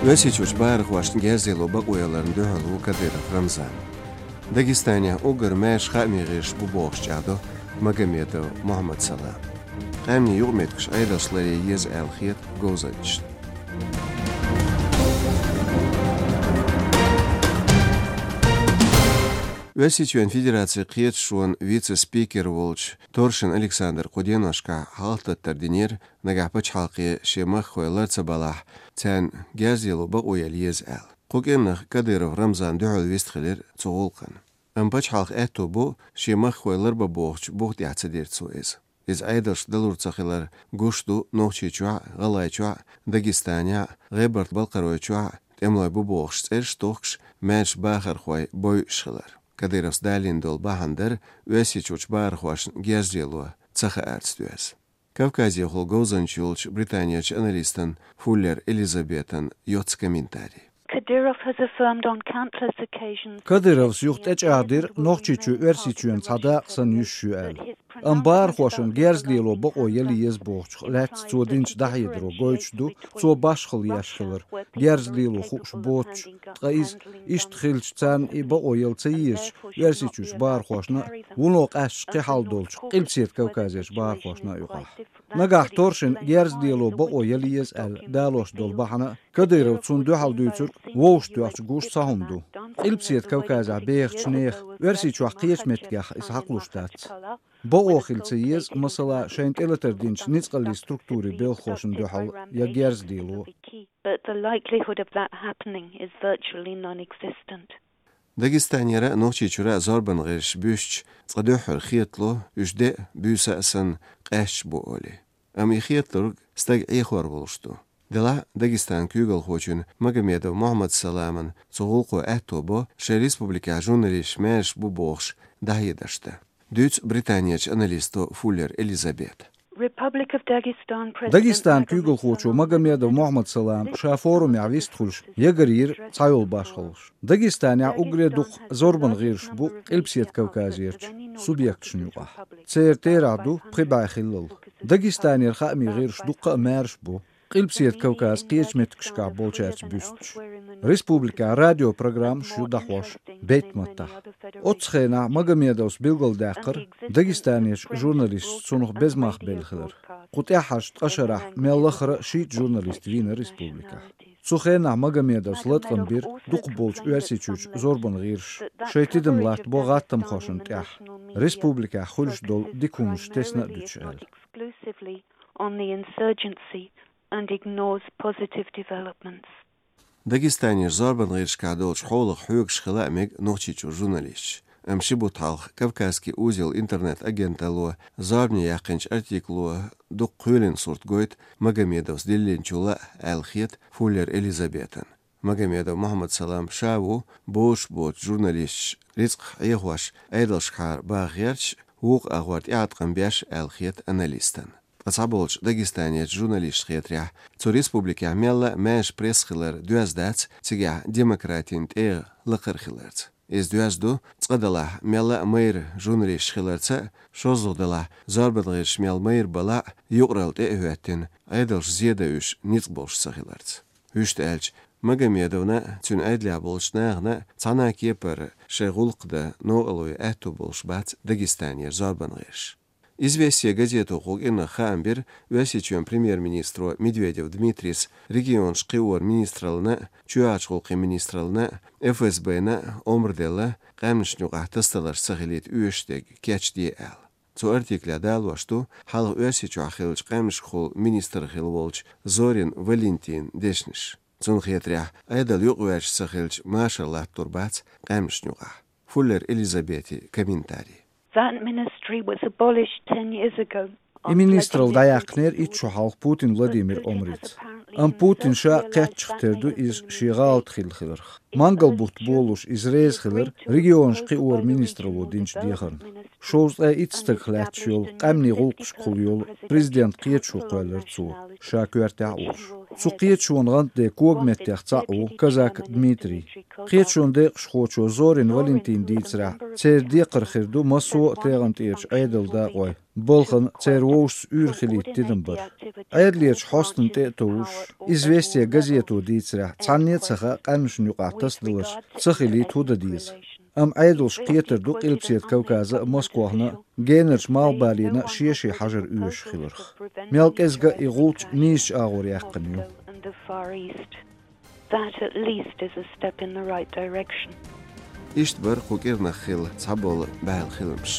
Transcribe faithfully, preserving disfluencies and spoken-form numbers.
Оьрсийчоьнца бахархошна герз лело бакъо яларна дуьхьал ву Кадыров Рамзан. Дагестанехь уггар маьрша хаамийн гӀирсаш бу бохуш чӀагӀдо Магомедов Мухьаммад-Салам. Къаьмнийн юкъаметтигаш Ӏедалша ларъян еза аьлла хета говзанчашна. Оьрсийчоьнан Федерацин кхеташонан вице-спикер волчу Торшин Александра кху деношкахь хьалхататтар динера, нагахь пачхьалкхе шен махкахой лар ца балахь, царна герз лело бакъо яла еза аьлла. Кху кӀиранах Кадыров Рамзан дуьхьал вистхилира цу гӀуллакхна. Амма пачхьалкхан аьтто бу, шен махкахой ларбан бохучу бух тӀехь ца дира цо иза. Иза Ӏедалшна далур ца хилар гуш ду Нохчийчохь а, ГӀалгӀайчохь а, Дагестанехь а, ГӀебарта-Балкхаройчохь а тӀемалой бу бохуш цӀераш а тохкуш, маьрша бахархой бойуш хилар. Кадыровс далийна долу бахьана дара Оьрсийчуьрчу бахархошна герз лело ца хаарца доьзна. Кавказехула говзанча йолчу Британерчу аналистан Фуллер Элизабетан йоцу комментарий. Kadyrov has affirmed on countless occasions Кадыровс юха тӀечӀагӀдира, Нохчийчоь Оьрсийчоьнан цхьа дакъа санна юьсуш ю аьлла. Амма бахархошна герз лело бакъо яла еза бохучух лаьцна цо динчу дӀахьедаро гойтуш ду, цо башхалла еш хилар, герз лело хууш боцуш, ткъа иза, иштта хилча, царна и бакъо яла ца езачу Оьрсийчуьрчу бахархошна а, вуно къаьсташ кхин хьал долчу Къилбаседа Кавказерчу бахархошна а юкъахь. Нагахь Торшина герз лело бакъо яла еза аьлла далош долу бахьана а, Кадыров цунна дуьхьал дуьйцург вовшахтоьхча гуш цхьа хӀума ду. Къилбаседа Кавказехь бехачу нехан, Оьрсийчохь кхечу меттигех иза хьакхалуш дац. Бакъо хила ца еза, масала, шайна тӀелатар динчу ницкъаллийн структурийн белхахошна дуьхьал я герз лело. But the likelihood of that happening is virtually non-existent. Дагестанера а, Нохчийчуьра а зорбан гӀирсаш буьстича, цкъа дуьххьара хетало, уьш де а, буьйса а санна, къаьсташ бу олий. Амма и хеталург стаг Ӏехор волуш ду. Делахь а Дагестанан куьйгалхочун Магомедов Мухьаммад-Саламан цу гӀуллакхо аьтто бо шайн республикехь журналисташ маьрша бу бохуш дӀахьедарш дан. Дуьйцу Британерчу аналисто Фуллер Элизабета. Republic of Dagestan President Дагестанан куьйгалхочо Магомедов Мухьаммад-Салам ша форумехь вистхуьлуш ягарйира цхьайолу башхаллаш. Дагестанехь уггаре дукха зорбан гӀирсаш бу Къилбаседа Кавказерчу субъекташна юкъахь. Церан терахь ду пхи бӀе хиллал. Дагестанера хаамийн гӀирсаш дуккха а маьрша бу. Къилбаседа Кавказан кхечу меттигашкахь болчаьрца буьстича. Республикехь радиопрограммаш ю дӀахьош бейтта маттахь. Оццу хенахь Магомедовс билгалдаьккхира Дагестанерчу журналисташа цунах беза мах белла хилар. Кху тӀаьххьарчу ткъа шарахь мел лахара шийтта журналист вийна республикехь. Цу хенахь Магомедовс латкъам бира дукхахболчу Оьрсийчуьрчу зорбан гӀирсаша шайн тидам латтабо гӀаттамхошна тӀехь, республикехь хуьлуш долу дика хӀуманаш тесна а дуьтуш аьлла. Exclusively on the insurgency and ignores positive developments. Дагестанерчу зорбан гӀирсашкахь долчу хьолах хьоьгуш хила а мега Нохчийчуьра журналисташ. Амма ши бутт хьалха «Кавказский узел» интернет-агенталло зорбане яьккхинчу артикло дукха кхоьлина сурт гойту Магомедовс диллинчул а аьлла хета Фуллер Элизабетана. Магомедов Мухьаммад-Салам ша ву бозуш боцу журналисташ рицкъах Ӏехош Ӏедалшкахьара баха гӀерташ, вукху агӀор тӀеӀаткъам беш аьлла хета аналистана. Ткъа цхьаболчу Дагестанерчу журналисташна хетарехь, цу республикехь мелла а маьрша пресса хилар доьзна дац цигахь демократин тӀегӀа лакхара хиларца. Иза доьзна ду, цкъа делахь, мелла а майра журналисташ хиларца а, шозлагӀа делахь, зорбан гӀирсаш мел майра балахь а, юкъаралла тӀе а хӀоьттина, Ӏедалша зен дан уьш ницкъ болуш ца хиларца. Вуьшта аьлча, Магомедовна а, цуьнан Ӏедалехь болчу нахана а цхьана а кепара шайн гӀуллакх дан новкъарло ян аьтто болуш бац Дагестанера зорбан гӀирсаш. «Известия» газето кху кӀиранах хаам бира Оьрсийчоьнан премьер-министро Медведев Дмитрийс регионаш кхиоран министраллина а, чоьхьарчу гӀуллакхийн министраллина а, ФСБ-на а омра делла, къаьмнашна юкъахь тасадаларш ца хилийта оьшуш дерг кечде аьлла. Цу артиклехь далош ду хьалха Оьрсийчохь хиллачу къаьмнашкахула министр хилла волчу Зорин Валентинан дешнаш. Цунна хетарехь, Ӏедал юкъаваьржаш ца хилча, машар латтор бац къаьмнашна юкъахь. Фуллер Элизабетин комментарий. That ministry was abolished ten years ago. И министралла дӀаяьккхинера итт шо хьалха Путин Владимиран омрица. Амма Путин ша кхетчахь тера ду иза шен гӀалат хилла хиларх. Мангал бутт болуш иза реза хилира регионаш кхиоран министралло динчу дехарна. Шовзткъе итт стагах лаьтташ йолу, къаьмнийн гӀуллакхашкахула йолу, президент кхеташо кхоьллира цо, ша коьртехь а волуш. Цу кхеташонан гӀантден когаметтех цхьаъ ву Козак Дмитрий. Кхеташонан декъашхочо Зорин Валентина дийцарехь, церан декхар хир ду массо а тӀегӀан тӀерачу Ӏедалан дакъой. Балхана церан вовшашца уьйр хилийта тидам бар. Ӏедалерчу хьостанна тӀе а товжуш, «Известия» газето дийцарехь, цхьанне а ца хаьа къаьмнашна юкъахь тасадаларш ца хилийта хӀун дан деза. Амма Ӏедалша кхетар ду Къилбаседа Кавказа а, Москвахна а, генарчу малхбалена а шен-шен хьажар оьшуш хиларх. Мел кӀезга а и гӀулч нийсачу агӀор яьккхина ю. That at least is a step in the right direction. Иштта бара кху кӀирнах хилла цхьаболу бӀаьла хиламаш.